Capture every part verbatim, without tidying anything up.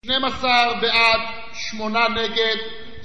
שנים עשר בעד, שמונה נגד,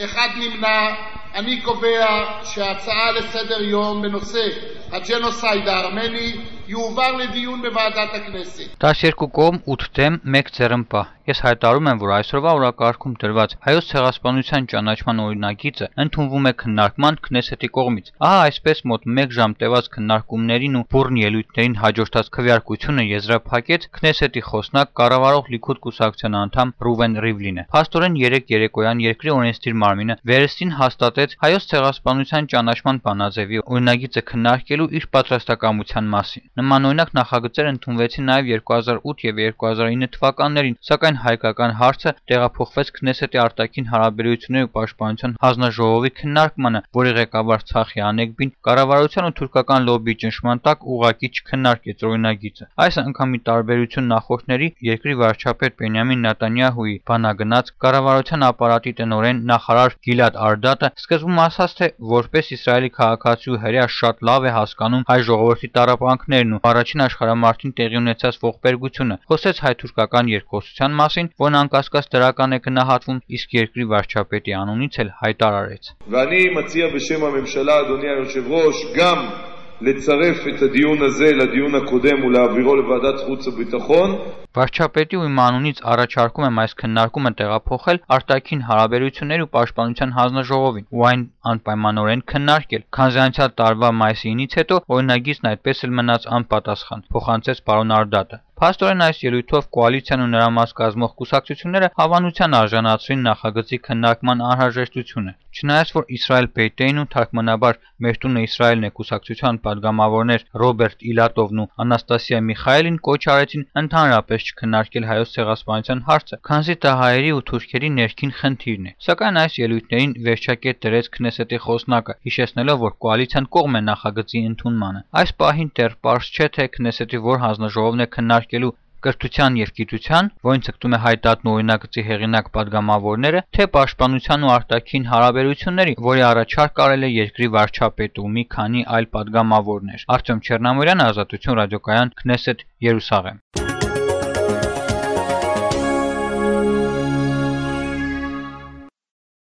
אחד נמנע. אני קובע שההצעה לסדר יום בנושא הג'נוסייד הארמני יועבר לדיון בוועדת הכנסת. տասներկու կողմ, ութ դեմ, մեկ ձեռնպահ։ Ես հայտարարում եմ, որ այսօրվա օրակարգում դրված հայոց ցեղասպանության ճանաչման օրինագիծը ընդունվում է քննարկման Քնեսետի կողմից։ Ահա այսպես մոտ մեկ ժամ տևած քննարկումներին ու բուրն ելույթներին հաջորդած քվեարկությունը եզրափակեց Քնեսետի խոսնակ կառավարող Լիքուդ կուսակցության անդամ Ռուվեն Ռիվլինը։ Փաստորեն երեք երեկոյան երկրի օրենսդիր մարմինը վերստին հաստատեց հայոց ցեղասպանության ճանաչման բանաձևի օրինագիծը քննարկելու իր պատրաստակամության մասին։ Նմանօրինակ նախագծեր ընդունվեցին նաև երկու հազար ութ եւ երկու հազար ինը թվականներին, սակայն հայկական հարցը տեղափոխվեց Քնեսետի արտաքին հարաբերությունների ու պաշտպանության հանձնաժողովի քննարկմանը, որի ղեկավար Ցախի Անեգբին կառավարության ու թուրքական լոբբիի ճնշման տակ ուղղակի չքննարկեց օրինագիծը։ Այս անգամի տարբերություն նախորդների երկրի վարչապետ Բենյամին Նետանյահուի բանագնաց կառավարության ապարատի տնօրեն նախարար Գիլադ Արդատը սկզբում ասաց, թե որպես Իսրայելի քաղաքացու հրեա շատ լավ է հասկանում հայ ժողովրդի տառապանքներն ու առաջին աշխարհամարտին տեղի ունեցած ողբերգությունը, խոսեց հայ-թուրքական երկխոսության մասին, որն անկասկած դրական է գնահատվում, իսկ երկրի վարչապետի անունից էլ հայտարարեց. ואני מציע בשם הממשלה, אדוני היושב-ראש, גם לצרף את הדיון הזה לדיון הקודם ולהעבירו לוועדת חוץ וביטחון. Վարչապետի ու իմ անունից առաջարկում եմ այս քննարկումը տեղափոխել արտաքին հարաբերությունների ու պաշտպանության հանձնաժողովին ու այն անպայմանորեն քննարկել, քանզի անցյալ տարվա մայիսի ինից հետո օրինագիծն այդպես էլ մնաց անպատասխան, փոխանցեց պարոն Արդատը։ Փաստորեն այս ելույթով կոալիցիան ու նրա մաս կազմող կուսակցությունները հավանության արժանացրին նախագծի քննարկման անհրաժեշտությունը։ Չնայած որ Իսրայել Բեյտեին ու թարգմանաբար Մեր տունը Իսրայելն է կուսակցության падգամավորներ Ռոբերտ Իլատովն ու Անաստասիա Միխայելին կոչ արեցին ընդհանրապես չքննարկել հայոց ցեղասպանության հարցը, քանզի դա հայերի ու թուրքերի ներքին խնդիրն է։ Սակայն այս ելույթներին վերջակետ դրեց Քնեսետի խոսնակը, հիշեցնելով, որ կոալիցիան կողմ է նախագծի ընդունմանը։ Այս պահին դեռ պարզ չէ, թե Քնեսետի որ հանձնաժողովն է քննարկելու կրթության եւ գիտության, որին ցկտում է հայտատն օրինագծի հեղինակ падգամավորները, թե պաշտպանության ու արտաքին հարաբերությունների, որի առաջարկ արել է երկրի վարչապետը ու մի քանի այլ падգամավորներ։ Արտյոմ Չեռնամորյան, Ազատություն ռադիոկայան, Քնեսետ, Երուսաղեմ։